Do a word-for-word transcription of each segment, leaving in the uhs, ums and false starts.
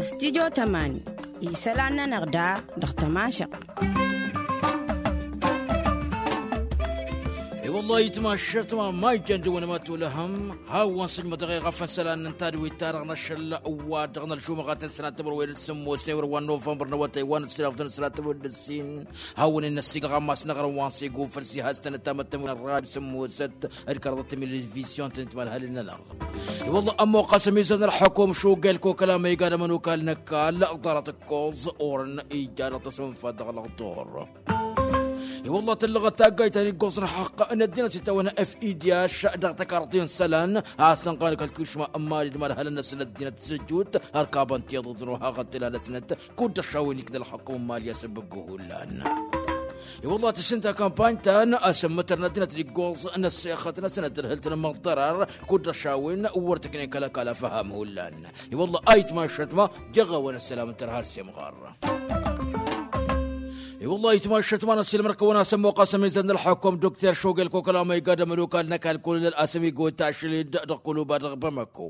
Studio tămani isălan-nănăɣ da dăɣ-tămašăɣ. I-wăllah itmašăt ma ma ijjan dăwăn ma tulăhăm hawăn sǝjmădăɣ i-ɣăfăn isălan n-tadwit-ta-dăɣ n-ašăl wa dăɣ-nălšumăɣatăn s-tămăr wa n-sǝmmos n-ewăr wa n-novămbăr n-awătay wa n-ăssinafdăn s-tadwit d-ăssin. Hawăn-in-năssiilăɣ ammas n-aɣrǝm wa n-siguffăl s-ihastăn ătamăttăm n-ărrad sǝmmosăt d-kărăḍăt timǝlǝvizyon tăn-itmalhălăn-nănăɣ. I-wălla ămmoqqas ămizăr n-ălxăkum šugel kokăl amăyga d-ămănokal n-ăkall ḍarăt ǝkkoẓ orăn ija dăɣ-tăsmănfat dăɣ-lăɣtor. I-wălla tǝllăɣăt taggayt ta n-iggoẓ n-ălxăqq n-ăddinăt s-itawăn f i d-i-ašša dăɣ-tăkarḍi n-isălan a-s ănɣan kăl-tušma n-imali d-imalhălăn-năsăn ăddinăt s-ǝjjut ărkabăn tiḍǝḍ n-ohăɣăn tǝla-năsnăt kud-dăɣ šawen ikna ălxăkum n-imali a-s ăbbăggu hullan. I-wălla tǝssin ta kampany-ta-n asǝmmǝtăr n-ăddinăt d-iggoẓ n-ăssexăt-năsnăt d-hǝl tǝnmăḍ ḍărar kud-dăɣ šawen wăr tǝknen kăl-ăkall afăham hullan. I-wălla a itmašăt ma jăɣ-awăn ăssălam n-tărha ălsemɣar. I-wălla a itmašăt ma n-ăssiilmăr kăwăn-asăn moqqas ămizăr n-ălxăkum dukter šogel kokăl amăyga d-ămănokal n-ăkall kolonel asămigo tašlid dăɣ-kuluba dăɣ-bamăko.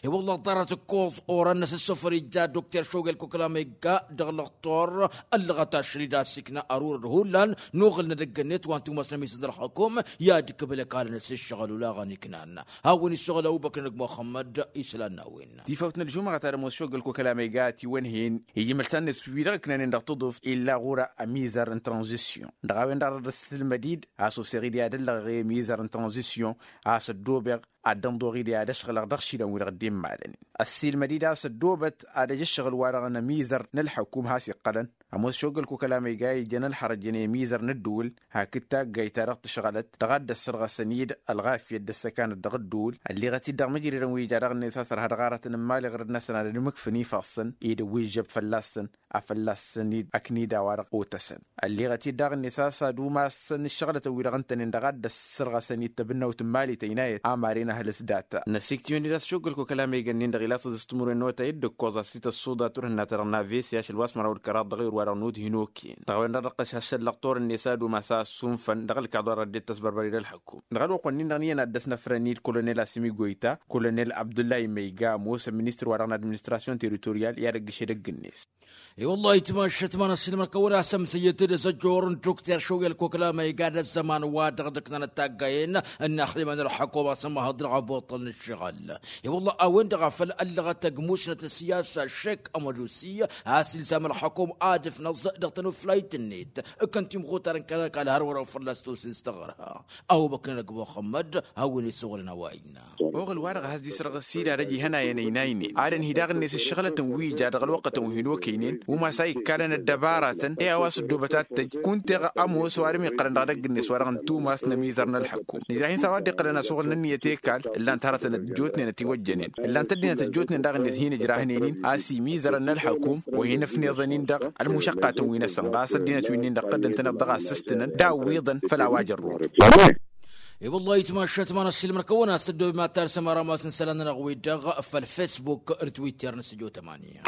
I-wălla ḍarăt ǝkkoẓ orăn-năs ǝssufăr ija dukter šogel kokăl amăyga dăɣ-lăɣtor ăllăɣăt ašăl-i d-asikna ărurăd hullan n-oɣǝl n-edăgg-net wa n-tumas n-ămizăr n-ălxăkum i-ad-ǝkkǝbǝl ăkall-năs ǝššăɣǝl olaɣăn iknan. Hawăn-issuɣǝl ăbubăkr n-ăgg muxămmăd isălan n-a-wen. Tifawt n-ălžumăɣăt ad-ămoos šogăl kokăl amăyga a tiwănhăyăn ijmǝl-tăn-net wi-dăɣ ǝknanen dăɣ-tǝḍuft illa ɣur-a ămizăr n-tranzisyon dăɣ-a-wen-dăɣ dăr-dd ăssilmăd-dd a-s osseɣ-dd i-ad-ăllăɣeɣ i-ămizăr n-tranzisyon a-s ăddoobeɣ ad-dd-ănḍoɣ-dd i-ad-ăšɣǝlăɣ dăɣ-išilan-wi-dăɣ dd-immalănen. Ăssiilmăd-dd a-s ăddoobăt ad-ăj ǝššăɣǝl wa-dăɣ n-ămizăr n-ălxăkum has-iqqălăn ămoos šogăl kokăl amăyga ijăn ălxărăjăn i-ămizăr n-ǝddǝwǝl hakd taggayt-ta-dăɣ tǝšɣălăt dăɣ-ad-dd-ăssărɣăsăn-dd ălɣafyăt d-ăssăkanăt dăɣ-ǝddǝwǝl. Ălliɣăt-dd dăɣ-mǝjridăn wi ija daɣ-net a-s ărha dăɣ-aratăn n-imali ɣur-năsăn ad-ănmǝkfǝn ifassăn i-dăwwižžăb fălla-săn afăl lassăn-dd ăknida wa-dăɣ otăsăn. Ălliɣăt-dd daɣ-net a-s ad-umasăn ǝššăɣlătăn-wi-dăɣ ǝntănen dăɣ-ad-dd-ăssărɣăsăn i-dd tăbǝnnawt n-imali tăynayăt a maren ahǝlǝs data. Năsiktǝyăn-dd a-s šoggăl kokăl amăyga-nin-dăɣ ila s-ad-ăstǝmǝrwen n-otay d-ǝkkoẓ a-s ităssudăt turhǝnna-ta-dăɣ n-avesi ašăl wa s-măraw d-kăraḍ dăɣ-iwǝr wa-dăɣ n-udhin oken dăɣ-a-wen-dăɣ dăɣ-tăšašăl lăɣtor-net ad-umas a ăssunfăn dăɣ-ălkaḍ wa dăɣ-dd-tăsbărbăr i-dd ălxăkum. Dăɣ-ălwăqq-wen-nin-dăɣ n-iyyăn ad-dăr-s năfrăn-dd kolonel asimi goyta kolonel abdullahi măyga ămoosăn ministăr wa dăɣ-n administrasyon teritoryal i-ad-ăgg-ăšedăgg-net. I-wăllah itmašăt ma n-ăssiilmăr-kăwăn-asăn mǝsăyyăt-dd s-ăjjoor n-dukter šoyăl koklama iga d-ăzzăman wa dăɣ-dd-ǝknanăt taggayen n-inaxlima n-ălxăkum a-s ămmăhăḍ dăɣ-abotăl n-ǝššăɣǝl. I-wăllah a-wen-dăɣ a făl ăllăɣăt ăgg musnăt n-ăssiyasa šek ămădusi a-s ilzam ălxăkum ad-ǝfnăẓ dăɣ-tanuflayt-net ǝkkăn timɣutar n-kăl-ăkall hărwăr-ăw fălla-s tosen s-taɣărha. Ăbubăkr n-ăgg muxămmăd hawăn-isuɣǝlăn a-wa innă. Oɣǝl-wa-dăɣ has-dd-isrăɣ ăssiilad ăj ihănayăn ăynaynen ad-ănhǝy daɣ-net ǝššăɣlătăn wi ija dăɣ-ălwăqqătăn wi hin-okăynen umas a ikkalăn ăddăbaratăn i-a-wa s-ăddoobăt ad-tăj kunta-dăɣ ămoos ăwadǝm iqqălăn dăɣ-edăgg-net wa dăɣ-nǝttumas n-ămizăr n-ălxăkum nǝjrah-in s-a-wa dd-iqqălăn asuɣǝl n-ǝnniyăt i-kall ǝllan-t hărătăn ăjjootnen ătiwăjjănen ǝllan-t ăddinăt ăjjootnen daɣ-net hin-ǝjrahnen-in a-s imizărăn n-ălxăkum wa hin-ăfneẓăn-in dăɣ-ălmušăqqatăn wi-năsăn ɣas ăddinăt wi-nin-dăɣ tăddǝn-tăn-dd dăɣ-assǝstǝnăn d-awwiḍăn făll-a-wa jărrun. I-wăllah itmašat ma n-ăssiilmăr-kăwăn-as tăddoobem ad-tarsăm arămas n-isălan-nănăɣ-wi-dăɣ făll-facebook d-twitter n-stujo tămani.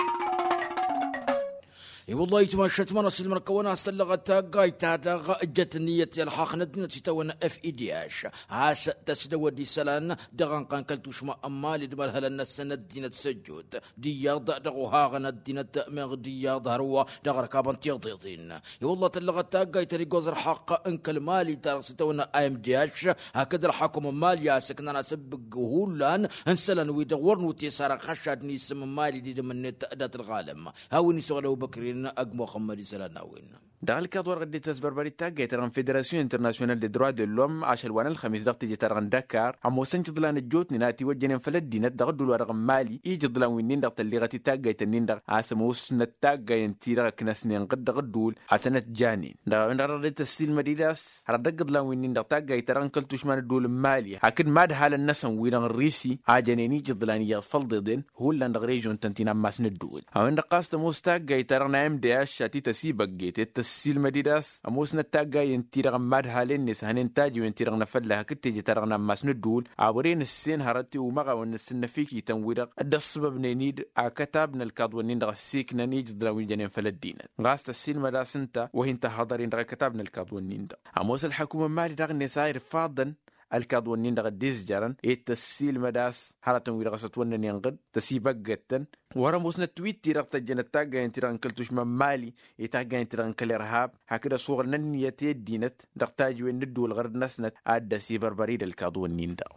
I-wăllah itmašat ma n-ăssiilmăr-kăwăn-as tăllăɣăt taggayt-ta-dăɣ ǝjjăt ǝnniyăt i-ălxaqq n-ăddinăt s-itawănna f i d h a-s tăsdăwăd isălan dăɣ-ănqan kăl-tušma n-imali d-imărhălăn-năsăn ăddinăt s-ăjjoot d-iyyăḍ dăɣ-ohăɣăn ăddinăt meɣ d-iyyăḍ hărwa dăɣ-ărkabăn tiḍeḍen. I-wălla tăllăɣăt taggayt ta n-iggoẓ ălxaqq n-kăl-mali ta dăɣ-s itawănna a m d h hakd ălxakum n-mali a-s ǝknan asǝbbǝg hullan n-isălan-wi-dăɣ wăr nutesarăɣ xăššad n-isǝm n-mali d-idǝm-net dat-ălɣalăm. Hawăn-isuɣǝl ăbubăkr-in ăgg muxămmăd isălan n-a-wen. Dăɣ-ălkaḍ wa dăɣ-dd-tăsbărbărit taggayt-ta-dăɣ n-federasyon internasyonal de droit de lom ašăl wa n-ălxămis dăɣ-teje-ta-dăɣ n-dăkkar ămoosăn ijǝḍlan ăjjootnen a tiwăjjănen făll-ăddinăt dăɣ-ădduul-wa-dăɣ n-mali ijǝḍlan wi-nin-dăɣ tălliɣăt-dd taggayt-nin-dăɣ a-s ămoosnăt taggayen-ti-dăɣ ǝknăsnen ɣǝd dăɣ-ădduul ad-tănăt-janen dăɣ-a-wen-dăɣ dăɣ-dd-tăssilmăd-dd a-s hărăt dăgg-iḍlan wi-nin-dăɣ taggayt-ta-dăɣ n-kăl-tušma n-ădduul n-mali hakd madhalăn-năsăn wi-dăɣ n-risi a jănen ijǝḍlan iyyăḍ făll-iḍeḍen hullan dăɣ-režyon-tăn ti n-ammas n-ădduul. A-wen-dăɣ ɣas tămoos taggayt-ta-dăɣ n-a m d h a t-tăsibăgget ed tăssiilmăd-dd a-s ămoosnăt taggayen-ti-dăɣ n-imadhalen-net hănen tajiwen-ti-dăɣ n-afălla hakd teje-ta-dăɣ n-ammas n-ădduul a wăren ǝssen hărăt i-umăɣawăn n-asǝnnăfikităn-wi-dăɣ dd-ăṣṣăbăbnen-dd akătab n-ălkaḍ-wen-in-dăɣ ăssiiknăn ijǝḍlan wi jănen făll-ăddinăt ɣas tăssiilmăd a-s ǝnta wa hin-tăhhăḍăr-in dăɣ-akătab n-ălkaḍ-wen-in-dăɣ. Ămoos ălxăkum n-mali daɣ-net a irfaḍăn ălkaḍ-wǝnnin-dăɣ dd-izjărăn ed tăssiilmăd a-s hărătăn-wi-dăɣ a-s ătwănnănen ɣǝd tăsibăggăd-tăn. Wăr-ămoosnăt wi-t-i-dăɣ tăjjănăt taggayen-ti-dăɣ n-kăl-tušma n-mali i-taggayen-ti-dăɣ n-kăl-irhab hakd ăsuɣǝlăn ǝnniyăt i-ăddinăt dăɣ-tajǝwen n-ǝddǝwǝl ɣur-năsnăt ad-dd-ăsibărbăr-dd ălkaḍ-wǝnnin-dăɣ.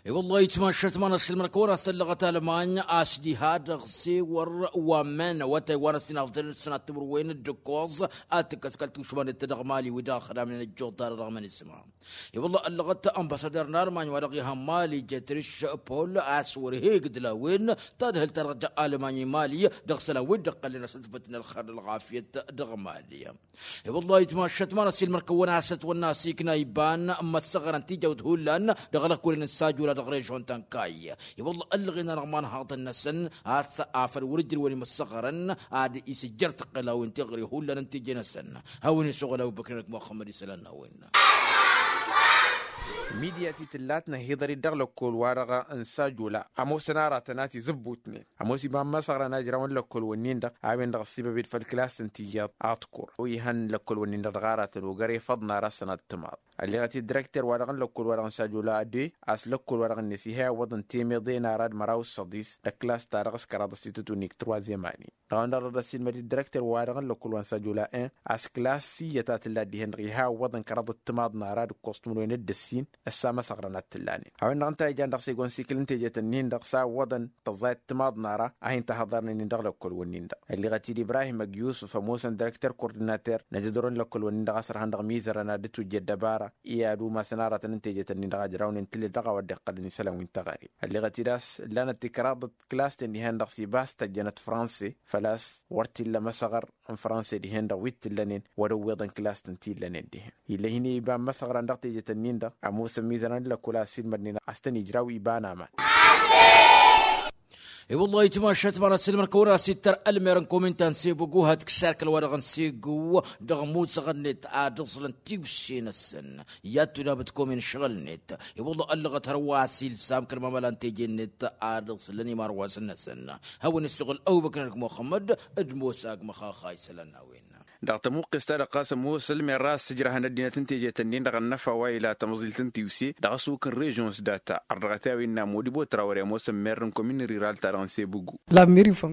I-wăllah itmašat ma n-asǝlmăr kăwăn-as tăllăɣăt almany a-s diha dăɣ-sewăr wa n-men awătay wa n-ăssinafdălăn s-sănat timǝrwen d-ǝkkoẓ ad-tǝkkăs kăl-tušmanăt dăɣ-mali wi dăɣ-ăxdamnen ăjjoḍ-ta-dăɣ mănisma. I-wălla ăllăɣăt ănbasăder n-almany wa dăɣ-iha n-mali jetriš pol a-s wăr he-igdǝl a-wen tadhǝlt-ta-dăɣ ja almany i-mali dăɣ-isălan wi dd-ǝqqălnen asǝtbǝt n-ălxer d-ălɣafyăt dăɣ-mali. I-wălla itmašat ma n-asilmăr kăwăn-asăt wănna asikna iba n-imăssăɣărăn tijawt hullan dăɣ-lăkkolăn n-sajula dăɣ-režon ta n-kayy. I-wălla ăllăɣen-anăɣ imanhaḍăn-năsăn a-s afăl wăr-ǝjrǝwăn imăssăɣărăn ad-isǝjjăr tăqqăl a-wen teɣăre hullan n-teje-năsăn. Hawăn-isuɣǝl abubăkr-năk muxămmăd isălan n-a-wen. Midiyat i-tǝllat năhiḍăr-dd dăɣ-lăkkol-wa-dăɣ n-sajula ămoosăn aratăn a t-izǝbbutnen ămoos iba n-imăsăɣrăn a ǝjrawăn lăkkol-wǝnnin-dăɣ a-wen-dăɣ ăssibăb-dd făll-klas n-tiyyăḍ aḍkur ihăn lăkkol-wǝnnin-dăɣ dăɣ-aratăn ogăre făḍ n-ara s-sănat timaḍ. Ălleɣăt-dd direkter-wa-dăɣ n-lăkkol-wa-dăɣ n-sajula ăddoy a-s lăkkol-wa-dăɣ-net iha iwwăḍăn temăḍe n-arad măraw s-săḍis d-ăkklas-ta-dăɣ s-kăraḍ s-itǝtwǝnnik turwazem ani. Dăɣ-a-wen-dăɣ dăɣ-dd-ăssiilmăd-dd direkter-wa-dăɣ n-lăkkol wa n-sajula en a-s klas iyyăt a tǝlla dihen-dăɣ iha iwwăḍăn kăraḍăt timaḍ n-arad ǝkkoẓ timǝrwen d-ǝssin ăssamăsăɣrăn ad-t-ǝllanen. A-wen-dăɣ ǝnta a ijan dăɣ-s egon sikǝl n-tejet-ǝnnin-dăɣ s-a ǝwwăḍăn tăẓẓayăt timaḍ n-ara a hin-tăhăḍărnen-in dăɣ-lăkkol-wǝnnin-dăɣ. Ălleɣăt-dd ibrahim ăgg-yusǝf ămoosăn direkter kordinater n-ad-ǝḍrǝwăn lăkkol-wǝnnin-dăɣ a-s ărhan dăɣ-imizărăn ad-dd-tujjăd dăbara i-ad-umasăn aratăn n-tejet-ǝnnin-dăɣ a ǝjrawnen tǝlled dăɣ-a-wa dd-iqqălăn isălan wi n-teɣăre. Ălleɣăt-dd a-s ǝllanăt tikraḍăt klas-ten dihen-dăɣ s-ibas tăjjănăt franse făl-a-s wăr t-illa măsăɣăr n-franse dihen-dăɣ wi t-ǝllănen wăr-ǝwweḍăn klas-ten ti ǝllănen dihen. Ill'-e hin-e iba n-imăsăɣran dăɣ-tejet-ǝnnin-dăɣ ămoos ămizărăn n-lăkkol a ăssiilmădnen a-s tăn-ijraw iba n-aman. I-wăllah itmašat ma n-asǝlmăr kăwăn-as-ittăr ălmer n-komin ta n-sebugu had-t kǝssar kăl-wa-dăɣ n-segu dăɣ-musăɣ-net ad-ǝẓlăn tiwse-năsăn. I-ad-tudabăt komin šăɣǝl-net i-wăllah ăllăɣăt hărwa a-s ilsam kăl-mamăla n-teje-net ad-ǝẓlăn imarwasăn-năsăn. Hawăn-isuɣǝl ăbubăkr-năk muxămmăd d-mosa agmăxaxa isălan n-a-wen. Dăɣ-tămuqqes-ta-dăɣ ɣas ămoos ălmer ra ăssǝjrăhăn ăddinăt n-tejet-ǝnnin-dăɣ ănnăfa wa ila tămăẓilt n-tiwse dăɣ-asuk n-režyon s-data ărdăɣăt i-a-wen n-amodibo trawăre ămoosăn mer n-komin n-riral-ta-dăɣ n-sebugu.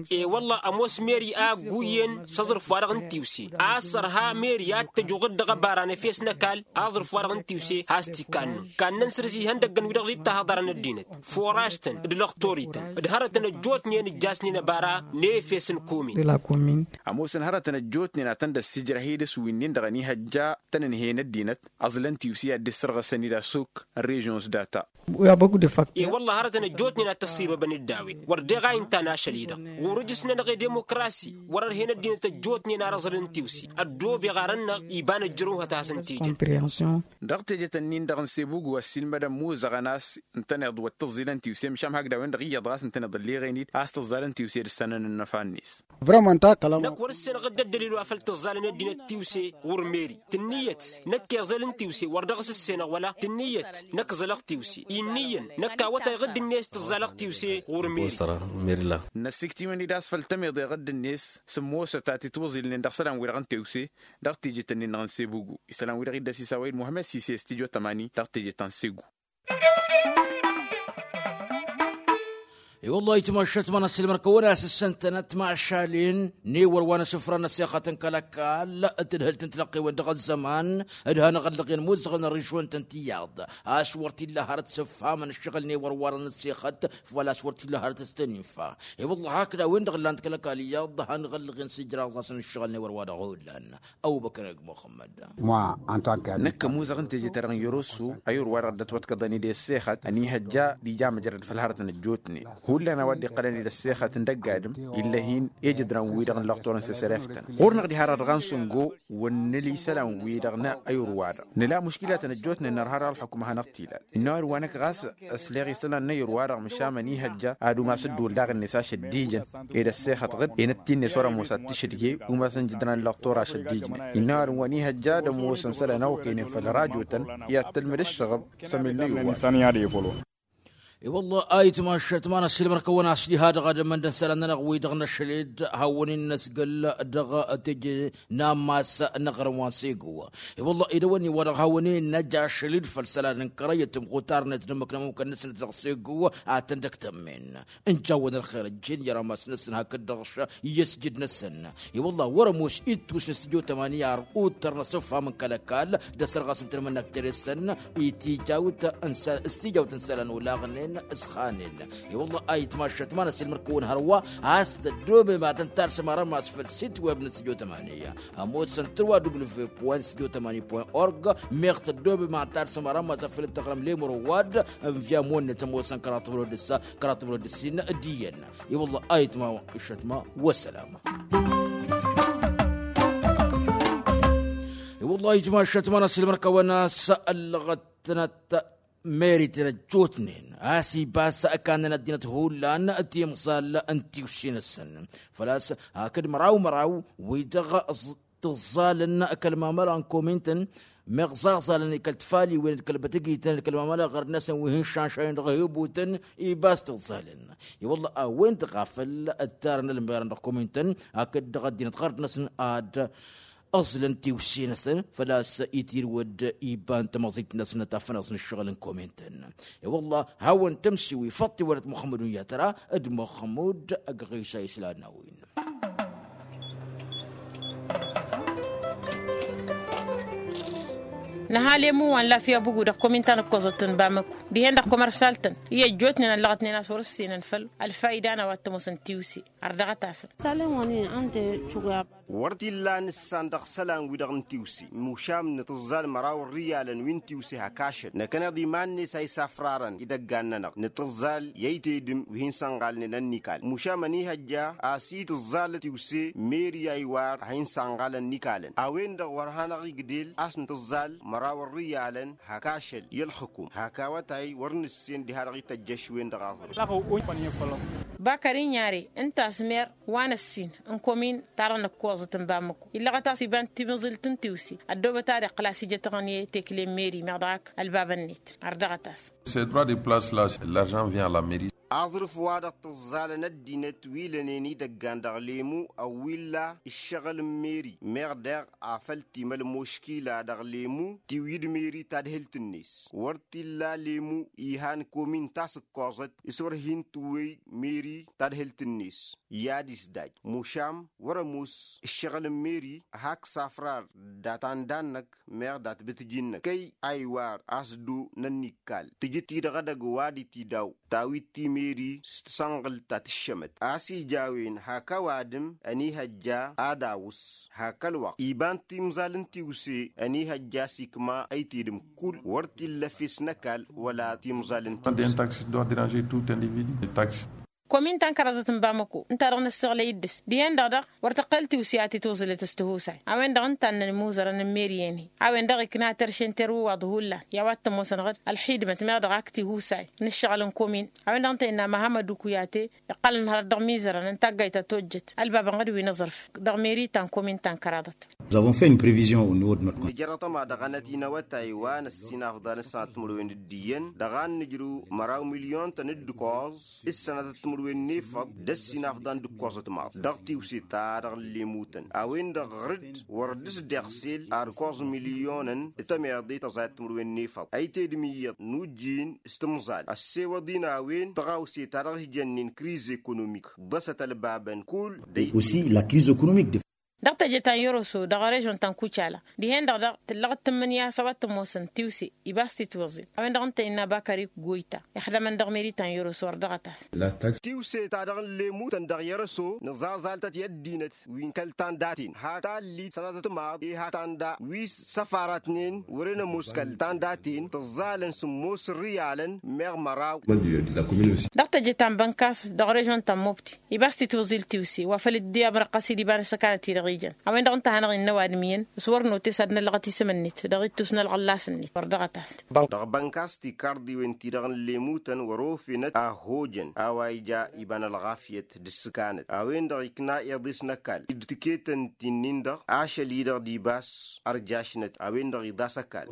E-wălla ămoos meri a ăgguyyen s-aẓrǝf-wa-dăɣ n-tiwse a-s ărha meri ad-t-ăjuɣǝd dăɣ-ăbara n-efes n-ăkall aẓrǝf-wa-dăɣ n-tiwse has-t-ikannăn kannăn săr-s ihăndăggăn wi-dăɣ dd-tahăḍărăn ăddinăt furaž-tăn d-lăxtor-ităn d-hărătăn ăjjootnen ǝjjasnen ăbara n-efes n-komin. Ămoosăn hărătăn ăjjootnen ad-tăn-dd-ăssijrăh-i dăɣ-s wi-nin-dăɣ ănihăjja tăn-ǝnhăyăn ăddinăt ăẓlăn tiwse i-ad-dd-issărɣăsăn-dd asuk n-režyon s-data. E-wălla hărătăn ăjjootnen ad-t-ăṣṣibăbăn-dd a-wen wăr deɣ a inta n-ašăl-i-dăɣ ɣur-ǝjǝsnănăɣ i-demokrasi wăr-ărhen ăddinăt ăjjootnen ar ăẓlăn tiwse ăddoobeɣ arăn-năɣ iba n-ăjjărăw hăt a hasăn-t-ijăn. Dăɣ-tejet-ǝnnin-dăɣ n-sebugu ăssiilmădăn muzăɣăn a-s ǝntăneḍ wăr t-ǝẓẓilăn tiwse măšan hakd a-wen-dăɣ iyyăḍ ɣas ǝntăneḍ ălleɣen-dd a-s tǝẓẓalăn tiwse d-ǝssanăn ănnăfa-net. Năkk wăr-ǝssenăɣ dd-ăddălil wa făl tǝẓẓalăn ăddinăt tiwse ɣur-meri tǝnniyăt năkk iẓăl n-tiwse wăr dăɣ-s ǝssenăɣ wăla tǝnniyăt năkk ǝẓălăɣ tiwse inniyăn năkk awătay ɣǝdd-net tǝẓẓalăɣ tiwse ɣur-meri. Năsiktiwăn-dd a-s făl tămeḍe ɣǝdd-net s-ămoosăt a t-itwăẓilnen dăɣ-isălan-wi-dăɣ n-tiwse dăɣ-tejet-ǝnnin-dăɣ n-sebugu isălan-wi-dăɣ iddăs isawăy d-muhămmăd sise s-tijo tămani dăɣ-tejet ta n-segu. I-wăllah itmăššăt ma n-asǝlmăr kăwăn-asǝssăn-tănăt mašalin n-ewăr wa n-asǝfra n-ăssexăt n-kăl-ăkall d-tadhǝlt n-tilăqqewen dăɣ-ăzzăman d-hanăɣ-ăllăɣen muzăɣăn ărišwăn-tăn tiyyăḍ a-s wăr t-illa hărăt s-ǝfhamăn ǝššăɣǝl n-ewăr wa dăɣ-năssexăt făl-a-s wăr t-illa hărăt s-tăn-infa. I-wăllah hakd a-wen-dăɣ ǝllan-t kăl-ăkall iyyăḍ hanăɣ-ăllăɣen s-ijraẓ-asăn ǝššăɣǝl n-ewăr wa dăɣ-hullan. Ăbubăkăr ăgg muxămmăd. Năkk ămuzăɣ n-teje-ta-dăɣ n-yărosu ayǝr-wa-dăɣ dd-ătwăḍkăḍăn-dd i-ăssexăt ănihăjja d-ija măjrăd făll-hărătăn ăjjootnen hullan a-wa dd-iqqălăn-dd ăssexăt n-dăgg-adǝm. Ill'-e hin-ejădran-wi-dăɣ n-lăxtor n-sesereftăn ɣur-năɣ diha-dăɣ dăɣ-a n-săngo wăr nǝla isălan-wi-dăɣ n-ayǝr-wa-dăɣ nǝla muškilatăn ăjjootnen nărha dăɣ-ălxukǝm a hanăɣ-t-ilal. Innă ăwadǝm wa năkk ɣas ăsleɣ isălan n-ayǝr-wa-dăɣ măšan ănihăjja ad-umas dd-wăl daɣ-net ašăddijăn ed ăssexăt ɣǝd enăt-t-inne s-wăr-ămoos ad-t-išǝdge umas n-jǝdran n-lăxtor ašăddijnen. Innă ăwadǝm wa n-ihăjja ad-ămoosăn isălan a okăynen făll-rajotăn i-ad-tălmăd ǝššăɣăb s-ămel n-ayǝr-wa-dăɣ. I-wălla a itmašat ma n-asilmăr-kăwăn-as diha dăɣ-ad-ămmăn d-ănsalan-nănăɣ-wi-dăɣ n-ašăled hawăn-in n-ăsgăl dăɣ-teje n-ammas n-aɣrǝm wa n-sego. I-wălla idăwănni wa dăɣ-hawăn-in n-ăj ašăled făll-isălan n-kărăy d-tamɣutar-net d-ǝmmǝk n-ămmukăn-năsnăt dăɣ-sego a tăn-dd-ăktămmen. N-jawwăn ălxer ăjjeen i-rammas-năsăn hakd-dăɣ i-ăsjǝd-năsăn. I-wălla wăr-ămoos ittus n-studio tămani ar uttăr n-asǝfham n-kăl-ăkall d-ăsărɣas n-tǝnmǝnnak jere-săn. I-tijawt n-isălan olaɣnen s-ixanen. I-wălla a itmašat ma n-asilmăr-kăwăn hărwa a-s tăddoobem ad-tăn-talsăm arămas făll-sit web n-studio tămani. Ămoosăn tărwa w studio tămani point org. Meɣ tăddoobem ad-talsăm arămas afăl dd-tăɣrăm lemur ăwadǝm via monnăt ămoosăn kăraḍ timǝrwed d-ǝssa kăraḍ timǝrwed d-ǝssin d-iyyăn. I-wălla a itmašat ma wăssălam. I-wălla a itmašat ma n-asilmăr-kăwăn a-s ăllăɣăt-tănăt meri-ten ăjjootnen a-s ibas ăkannăn ăddinăt hullan timẓal n-tiwse-năsăn. Făl-a-s hakd măraw măraw wi-dăɣ tǝẓẓalăn kăl-mamăla n-komintăn meɣ ẓaẓalăn i-kăl-tfaliwen d-kăl-bătăgităn d-kăl-mamăla ɣărd-năsăn wi hin-šanšayăn dăɣ-ehǝbutăn. Ibas tǝẓẓalăn i-wălla a-wen-dăɣ a făl ǝttarăn ălmerăn dăɣ-komintăn hakd dăɣ-ăddinăt ɣărd-năsăn ad-ăẓlăn tiwse-năsăn. Făl-a-s itirǝwăd iba n-tamăẓit-năsnăt afănăẓ n-ǝššăɣǝl n-komintăn. I-wălla hawăn-tămsiwi făṭṭ iwălăt muxămmăd unyatăra d-muxămmud ăgg ɣisa islan n-a-wen. Nǝha lemu wa n-lafya bugu dăɣ-komin ta n-ǝkkoẓăt n-bamăku dihen-dăɣ komărsal-tăn i-ăjjootnen ăllăɣătnen a-s wăr-ǝssinăn făll-ălfayda n-a-wa t-ămoosăn tiwse. Ărdăɣăt-asăn. Wăr t-illa nǝssan dăɣ-isălan-wi-dăɣ n-tiwse mušam nǝtǝẓẓal măraw n-riyalăn wi n-tiwse hak ašăl năkkăneḍ iman-net a isafrarăn idăggan-nănăɣ nǝtǝẓẓal i-ăytedǝm wi hin-sănɣalnen ănnikal mušam ănihăjja a-s itǝẓẓalăt tiwse meri a iwar a hin-sănɣalăn n-ikalăn a-wen-dăɣ wăr hanăɣ-igdel a-s nǝtǝẓẓal măraw n-riyalăn hak ašăl i-ălxǝkum hak awătay wăr nǝssen diha-dăɣ ităjjăš-wen-dăɣ aẓrǝf. Bakări n-yare ǝnta a-s mer wa n-ăssin n-komin ta-dăɣ nǝkkoẓăt n-bamăko illăɣăt a-s iba n-timǝẓilt n-tiwse ăddoobăt ad-iqqǝl a-s ijăt aɣǝnǝy tekle n-meri meɣ dăɣ-ak ălbabăn-net. Ărdăɣăt-as. Ces droit de place la, l'argent vient à la mairie. Aẓrǝf-wa-dăɣ tǝẓẓalăn ăddinăt wi lănen idăggan dăɣ-lemu ăwwilla ǝššăɣǝl n-meri meɣ daɣ afăl timăl muškila dăɣ-lemu tiwǝy d-meri tadhǝlt-net wăr t-illa lemu ihan komin ta s-ǝkkoẓăt s-wăr hin-tǝwwăy meri tadhǝlt-net. I-ad-isdaj mušam wăr-ămoos ǝššăɣǝl n-meri hak safrar dat-anda-năk meɣ dat-bǝtǝji-năk kăy a iwar a-s dd-onăn nikkal tǝjǝt-i-dăɣ edăgg ăwadǝm-t-idaw tawit timeri s-tasănɣǝlt ta tǝššămăt a-s ija a-wen hak ăwadǝm ănihăjja ad-awǝs hak ălwăqq iba n-timẓal n-tiwse ănihăjja a-s ikma ăytedǝm kull wăr t-illa efes n-ăkall wăla timẓal n-tiwse. Komin ta n-kăraḍăt n-bamăko ǝnta-dăɣ năssiɣlăy dd-s dihen-dăɣ daɣ wăr tăqqăl tiwse a tituẓǝlăt s-tihusay a-wen-dăɣ ǝnta a ǝnnăn imuzărăn n-meri-en-hi a-wen-dăɣ ikna terše n-terwǝwaḍ hullan i-a-wa t-ămoosăn ɣǝd ălxidmăt meɣ dăɣ-ak tihusay n-ǝššăɣǝl n-komin a-wen-dăɣ ǝnta innă măhămmăd ukuyate iqqălăn hărăt dăɣ-imizărăn n-taggayt ta tojjăt ălbabăn ɣǝd wi n-aẓrǝf dăɣ-meri ta n-komin ta n-kăraḍăt. Nous avons fait une prévision au niveau de notre compte. Nǝjăr aṭṭăma dăɣ-anăt-in awătay wa n-ăssinafḍan s-sănatăt timǝrwen d-iyyăn dăɣ-a n-nǝjrǝw măraw milyon-tăn d-ǝkkoẓ s-sănatăt timǝrwen n-efăḍ d-ăssinafḍan d-ǝkkoẓăt maḍt dăɣ-tiwse-ta-dăɣ n-lemutăn a-wen-dăɣ ɣăr-dd wăr dd-s-deɣsel ar ǝkkoẓ milyonăn d-tămeḍe tăẓayăt timǝrwen n-efăḍ ăytedǝm iyyăḍ n-ujjin s-tǝmẓal ăssewăḍ-in a-wen tăɣawse-ta-dăɣ s-jănnen kriz ekonomik ḍăsăt ălbabăn kull. Aussi la crise économique de. Dăɣ-teje ta n-yăroso dăɣ-režon ta n-kucala dihen-dăɣ daɣ tǝllăɣ d-tǝmmǝnǝya s-a-wa t-ămoosăn tiwse ibas titwăẓil a-wen-dăɣ ǝnta innă bakări goyta ixdămăn dăɣ-meri ta n-yăroso ărdăɣăt-as. Tiwse-ta-dăɣ n-lemutăn dăɣ-yărăso nǝẓaẓal-tăt i-ăddinăt wi n-kăl-tanda-ten hak tallit sănatăt maḍ i-hak tanda wi s-săfaratnen wăren ămoos kăl-tanda-ten tǝẓẓalăn sǝmmos n-riyalăn meɣ măraw. Dăɣ-teje ta n-bănkas dăɣ-režon ta n-mobti ibas titwăẓil tiwse wa făl dd-i amrăqqăs-dd iba n-ăssăkanăt-i-dăɣ. Ijăn a-wen-dăɣ ǝnta a hanăɣ-innă ăwadǝm iyyăn s-wăr notes ad-năllăɣăt isǝm-net dăɣ-ittus n-ălɣăllas-net wăr dăɣ-ăt-asăn. Dăɣ-bănkas tikarḍiwen-ti-dăɣ n-lemutăn wăr-ofe-năt a hojăn a-wa ija iba n-ălɣafyăt d-ǝssǝkanăt a-wen-dăɣ ikna iḍes n-ăkall d-tiketăn ti-nin-dăɣ ašăl-i-dăɣ d-ibas. Ărjašnăt a-wen-dăɣ iḍas ăkall.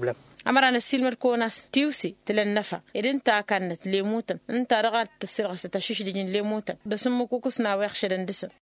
Ămăra năssiilmăd-kăwăn a-s tiwse tǝla ănnăfa ed ǝnta a kannăt lemutăn ǝnta-dăɣ a d-tăssirɣăsăt ašǝšdǝj n-lemutăn d-asǝmmǝkukǝs n-a-wa iɣšădăn dăɣ-săn.